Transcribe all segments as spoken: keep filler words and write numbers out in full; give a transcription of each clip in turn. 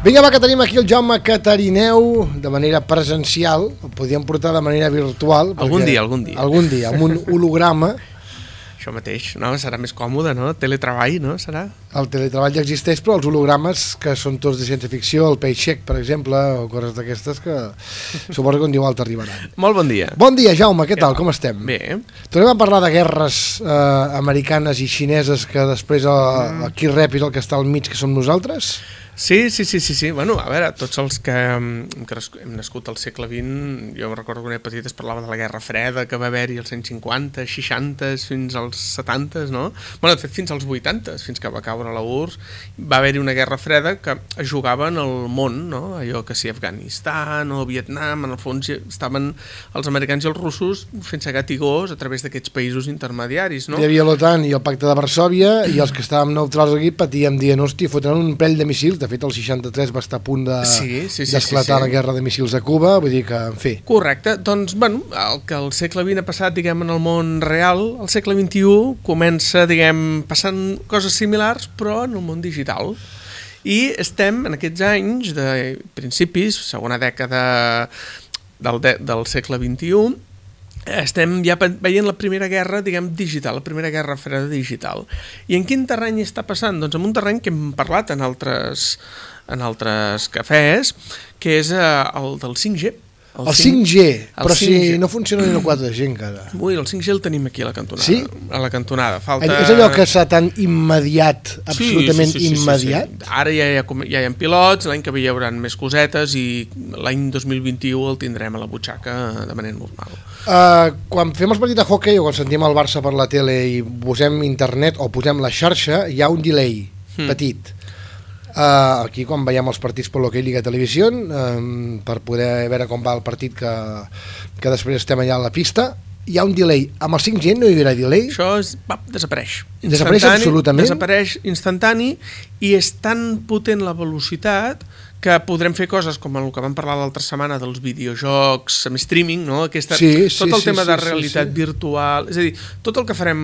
Vinga, va, que tenim aquí el Jaume Catarineu de manera presencial, el podíem portar de manera virtual. Algun dia, algun dia. Algun dia, amb un holograma. Això mateix, no? Serà més còmode, no? Teletreball, no? Serà? El teletreball ja existeix, però els hologrames, que són tots de ciència-ficció, el Paycheck, per exemple, o coses d'aquestes que suposo que un dia o altre arribaran. Molt bon dia. Bon dia, Jaume, què tal? Com estem? Bé. Tornem a parlar de guerres eh, americanes i xineses, que després el, el qui rep és el que està al mig, que som nosaltres? Sí, sí, sí, sí, sí. Bueno, a veure, tots els que hem, hem nascut al segle vint, jo recordo que quan era petit es parlava de la Guerra Freda, que va haver-hi als anys cinquanta, seixanta, fins als setanta, no? Bueno, de fet, fins als vuitanta, fins que va caure la U R S S, va haver-hi una Guerra Freda que es jugava en el món, no? Allò que si Afganistan o Vietnam, en el fons estaven els americans i els russos fent-se gat i gos a través d'aquests països intermediaris, no? Hi havia l'OTAN i el Pacte de Varsòvia, i els que estàvem neutrals aquí patíem dient, hòstia, fotran un parell de missils. De fet, el seixanta-tres va estar a punt de, sí, sí, sí, d'esclatar sí, sí. la guerra de missils a Cuba, vull dir que, en fi. Correcte, doncs, bueno, el que el segle vint ha passat, diguem, en el món real, el segle vint-i-u comença, diguem, passant coses similars, però en el món digital. I estem, en aquests anys, de principis, segona dècada del, de, del segle vint-i-u, estem ja veient la primera guerra, diguem, digital, la primera guerra freda digital. I en quin terreny està passant? Doncs en un terreny que hem parlat en altres, en altres cafès, que és el del cinc G. El, el cinc G, però cinc G. Si no funciona ni el quatre G encara. Ui, el cinc G el tenim aquí a la cantonada. Sí? A la cantonada. Falta... És allò que està tan immediat, absolutament sí, sí, sí, immediat? Sí, sí, sí. Ara ja hi ha, ja hi ha pilots, l'any que ve hi haurà més cosetes i l'any dos mil vint-i-u el tindrem a la butxaca de manera normal. Uh, quan fem els partits de hockey o quan sentim el Barça per la tele i posem internet o posem la xarxa, hi ha un delay hmm. petit. Uh, aquí quan veiem els partits per l'Hockey Liga Televisió, um, per poder veure com va el partit que, que després estem allà a la pista, hi ha un delay. Amb el cinc G no hi haurà delay? Això és, va, desapareix. Desapareix absolutament? Desapareix instantani i és tan potent la velocitat que podrem fer coses com el que vam parlar l'altra setmana dels videojocs amb streaming, no? Aquesta, sí, sí, tot el sí, tema sí, de realitat sí, sí. virtual, és a dir, tot el que farem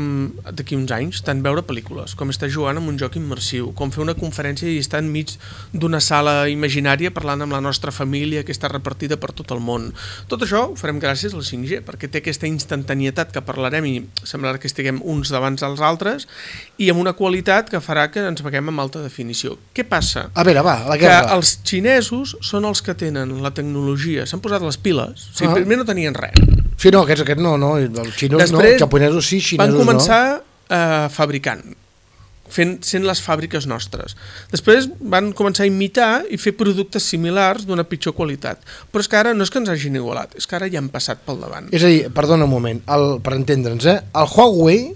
d'aquí uns anys, tant veure pel·lícules, com estar jugant amb un joc immersiu, com fer una conferència i estar enmig d'una sala imaginària parlant amb la nostra família que està repartida per tot el món. Tot això ho farem gràcies al cinc G, perquè té aquesta instantanietat que parlarem i semblarà que estiguem uns davant dels altres i amb una qualitat que farà que ens veiem amb alta definició. Què passa? A veure, va, la guerra. Que els xinesos són els que tenen la tecnologia, s'han posat les piles, o sigui, ah. primer no tenien res. Sí, no, aquests, aquests no, no, els xinos Després, no, els japonesos sí, xinesos van començar no. eh, fabricant, fent, sent les fàbriques nostres. Després van començar a imitar i fer productes similars d'una pitjor qualitat. Però és que ara no és que ens hagin igualat, és que ara ja han passat pel davant. És a dir, perdona un moment, el, per entendre'ns, eh, el Huawei,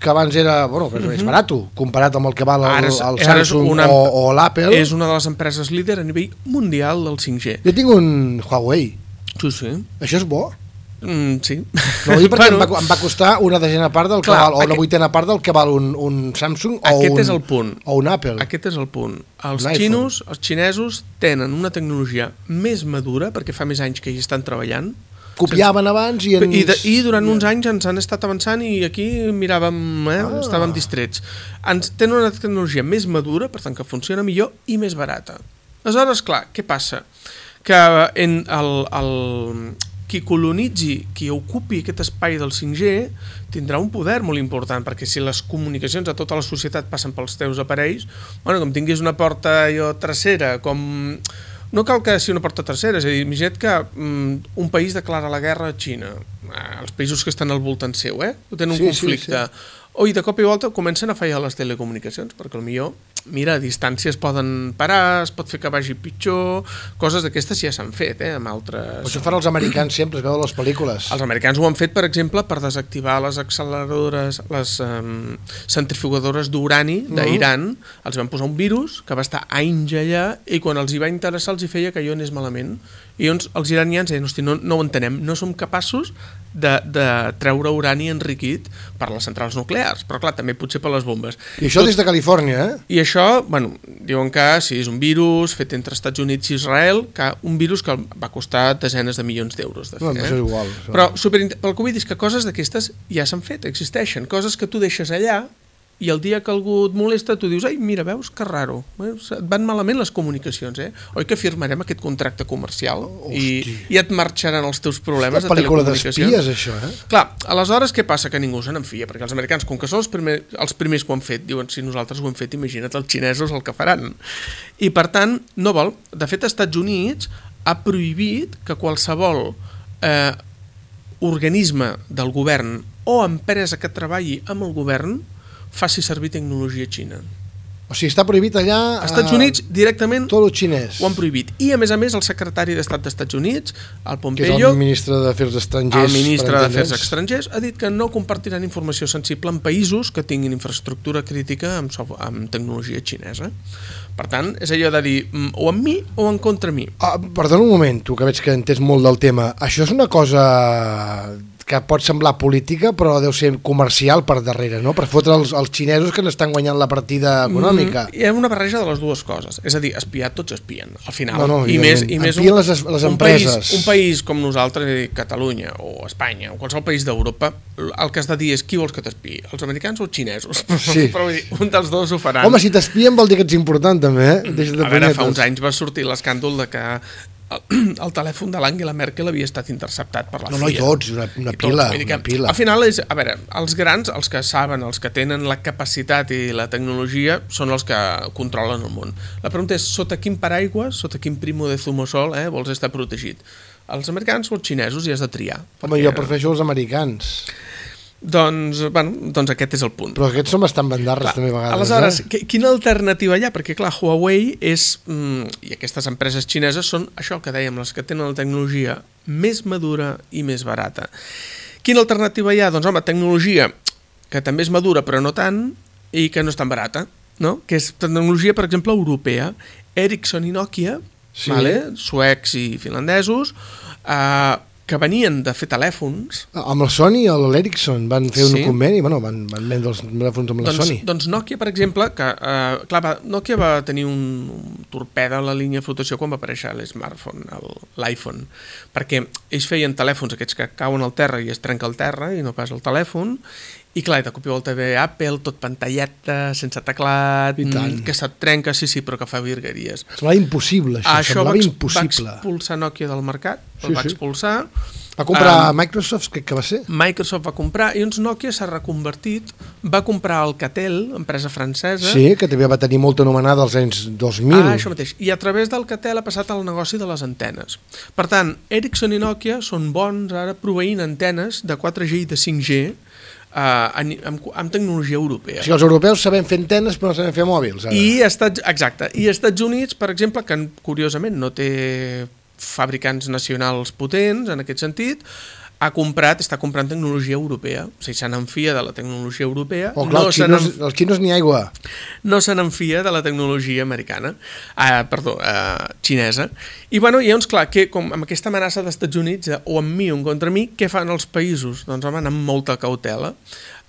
que abans era, bueno, que és més barat, comparat amb el que val el, el Samsung una, o, o l'Apple. És una de les empreses líder a nivell mundial del cinc G. Jo tinc un Huawei. Sí, sí. Això és bo? Mm, sí. No, vull dir perquè bueno, em, va, em va costar una desena part del que clar, val, o aquest, una vuitena part del que val un, un Samsung o aquest un, és el punt. o un Apple. Aquest és el punt. Els un xinos, els xinesos tenen una tecnologia més madura, perquè fa més anys que hi estan treballant, copiaven abans i, ens... I, de, i durant uns anys ens han estat avançant i aquí miràvem, eh, ah. estàvem distrets. Ens tenen una tecnologia més madura, per tant que funciona millor i més barata. Aleshores, clar, què passa? Que en el, el, qui colonitzi, qui ocupi aquest espai del cinc G tindrà un poder molt important, perquè si les comunicacions a tota la societat passen pels teus aparells, bueno, com tinguis una porta allò trasera, com... No cal que sigui una porta tercera, és a dir, imagina't que um, un país declara la guerra a Xina, els països que estan al voltant seu, eh? Tenen un sí, conflicte. Sí, sí. O i de cop i volta comencen a fallar les telecomunicacions, perquè potser, mira, a distància es poden parar, es pot fer que vagi pitjor, coses d'aquestes ja s'han fet, eh, amb altres... Això fan els americans sempre, es veuen les pel·lícules. Els americans ho han fet, per exemple, per desactivar les acceleradores, les um, centrifugadores d'urani d'Iran, uh-huh. els van posar un virus que va estar anys allà i quan els hi va interessar els hi feia que allò anés malament. I llavors els iranians deien, hosti, no, no ho entenem, no som capaços de, de treure urani enriquit per les centrals nuclears, però clar, també potser per les bombes. I això Tot... des de Califòrnia, eh? I això, bueno, diuen que sí, és un virus fet entre Estats Units i Israel, que un virus que va costar desenes de milions d'euros de fer. No, no, això és igual. Això... Però super, pel que vull dir és que coses d'aquestes ja s'han fet, existeixen, coses que tu deixes allà i el dia que algú et molesta tu dius, ai, mira, veus, que raro, eh? Et van malament les comunicacions, eh? Oi que firmarem aquest contracte comercial i, i et marxaran els teus problemes de telecomunicacions? És pel·lícula d'espies, això, eh? Clar, aleshores què passa? Que ningú se n'enfia, perquè els americans, com que són els, primer, els primers que ho han fet, diuen, si nosaltres ho hem fet, imagina't els xinesos el que faran. I per tant, no vol. De fet, als Estats Units ha prohibit que qualsevol eh, organisme del govern o empresa que treballi amb el govern faci servir tecnologia xina. O sigui, està prohibit allà... Als Estats Units, directament, tot el xinès. Ho han prohibit. I, a més a més, el secretari d'Estat dels Estats Units, el Pompeo... Que és el ministre d'Afers Estrangers... El ministre d'Afers Estrangers ha dit que no compartiran informació sensible en països que tinguin infraestructura crítica amb, amb tecnologia xinesa. Per tant, és allò de dir o amb mi o en contra mi. Ah, perdona un moment, tu que veig que entens molt del tema. Això és una cosa que pot semblar política, però deu ser comercial per darrere, no? Per fotre els, els xinesos que n'estan guanyant la partida econòmica. Mm, hi ha una barreja de les dues coses. És a dir, espiar tots espien, al final. No, no, I més, i més un, les, les un, empreses. país, un país com nosaltres, Catalunya o Espanya o qualsevol país d'Europa, el que has de dir és qui vols que t'espiï, els americans o els xinesos? Sí. Però vull dir, un dels dos ho faran. Home, si t'espien vol dir que ets important, també, eh? Deixa de a veure, fa uns anys va sortir l'escàndol de que el, el telèfon de l'Angela Merkel havia estat interceptat per la no, C I A. No, no, tots, una, una pila, tots, una pila. Al final, és, a veure, els grans, els que saben, els que tenen la capacitat i la tecnologia, són els que controlen el món. La pregunta és, sota quin paraigua, sota quin primo de zumosol eh, vols estar protegit? Els americans o els xinesos, i has de triar. Home, perquè... jo prefereixo els americans. Doncs, bueno, doncs aquest és el punt. Però aquests són bastant bandarres, clar, també a vegades. Aleshores, eh? quina alternativa hi ha? Perquè, clar, Huawei és, mm, i aquestes empreses xineses són això que dèiem, les que tenen la tecnologia més madura i més barata. Quina alternativa hi ha? Doncs, home, tecnologia que també és madura, però no tant, i que no és tan barata, no? Que és tecnologia, per exemple, europea. Ericsson i Nokia, sí. Vale? Suecs i finlandesos, eh, que venien de fer telèfons. Amb el Sony i l'Ericsson van fer un sí. conveni, bueno, van, van vendre els telèfons amb la doncs, Sony. Doncs Nokia, per exemple, que eh, clar, va, Nokia va tenir un, un torpeda a la línia de flotació quan va aparèixer l'smartphone, l'iPhone, perquè ells feien telèfons aquests que cauen al terra i es trenca el terra i no pas el telèfon, i clar, de cop i volta ve Apple, tot pantalleta, sense teclat, que se't trenca, sí, sí, però que fa virgueries. Semblava impossible, això, això semblava va, impossible. Va expulsar Nokia del mercat, sí, el va sí. expulsar. Va comprar um, Microsoft, crec que va ser. Microsoft va comprar, i uns Nokia s'ha reconvertit, va comprar Alcatel, empresa francesa. Sí, que també va tenir molt anomenada als anys dos mil. Ah, això mateix. I a través d'Alcatel ha passat al negoci de les antenes. Per tant, Ericsson i Nokia són bons ara proveint antenes de quatre G i de cinc G, Uh, amb, amb, amb tecnologia europea. O sigui, els europeus sabem fer antenes però no sabem fer mòbils. Ara. I Estats, exacte. I Estats Units, per exemple, que curiosament no té fabricants nacionals potents en aquest sentit, ha comprat, està comprant tecnologia europea. O sigui, se n'enfia de la tecnologia europea. Oh, clar, no els, xinos, els xinos ni aigua. No se n'enfia de la tecnologia americana, uh, perdó, uh, xinesa. I, bueno, i llavors, clar, que, com amb aquesta amenaça dels Estats Units, eh, o amb mi o en contra mi, què fan els països? Doncs, home, amb molta cautela,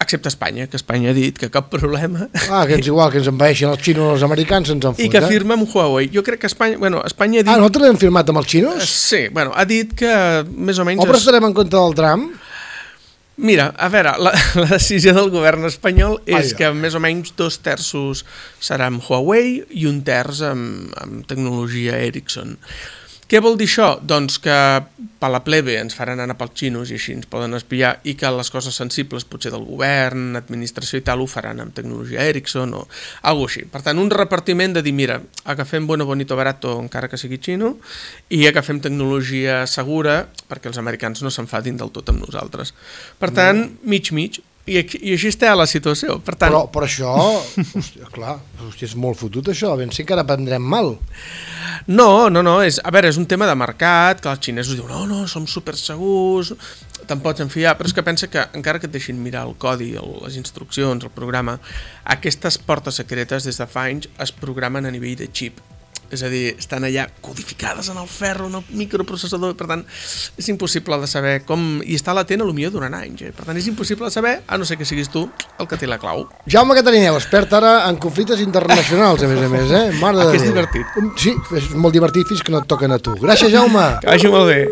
excepte Espanya, que Espanya ha dit que cap problema. Ah, que és igual, que ens envaeixin els xinos o els americans, ens en fot, I que eh? firma amb Huawei. Jo crec que Espanya... Bueno, Espanya ha dit... Ah, nosaltres hem firmat amb els xinos? Sí, bueno, ha dit que més o menys... O però estarem en contra del Trump? Mira, a veure, la, la decisió del govern espanyol és Ai, que més o menys dos terços serà amb Huawei i un terç amb, amb tecnologia Ericsson. Què vol dir això? Doncs que per la plebe ens faran anar pels xinos i així ens poden espiar, i que les coses sensibles potser del govern, administració i tal, ho faran amb tecnologia Ericsson o alguna cosa així. Per tant, un repartiment de dir, mira, agafem bueno, bonito, barato, encara que sigui xino, i agafem tecnologia segura perquè els americans no s'enfadin del tot amb nosaltres. Per tant, mig-mig. I, i així està la situació. Per tant... però, però això, hòstia, clar, hòstia, és molt fotut això, ben sí que ara prendrem mal. No, no, no, és, a veure, és un tema de mercat, que els xinesos diuen, no, no, som super segurs, te'n pots enfiar, però és que pensa que encara que et deixin mirar el codi, el, les instruccions, el programa, aquestes portes secretes des de fa anys es programen a nivell de xip. És a dir, estan allà codificades en el ferro, en el microprocessador, per tant, és impossible de saber com... I està latent, potser durant anys, eh? Per tant, és impossible de saber, a no ser que siguis tu el que té la clau. Jaume Catarineu, expert ara en conflictes internacionals, a més a més, eh? Mare de que és Déu. divertit. Sí, és molt divertit fins que no et toquen a tu. Gràcies, Jaume. Que vagi molt bé.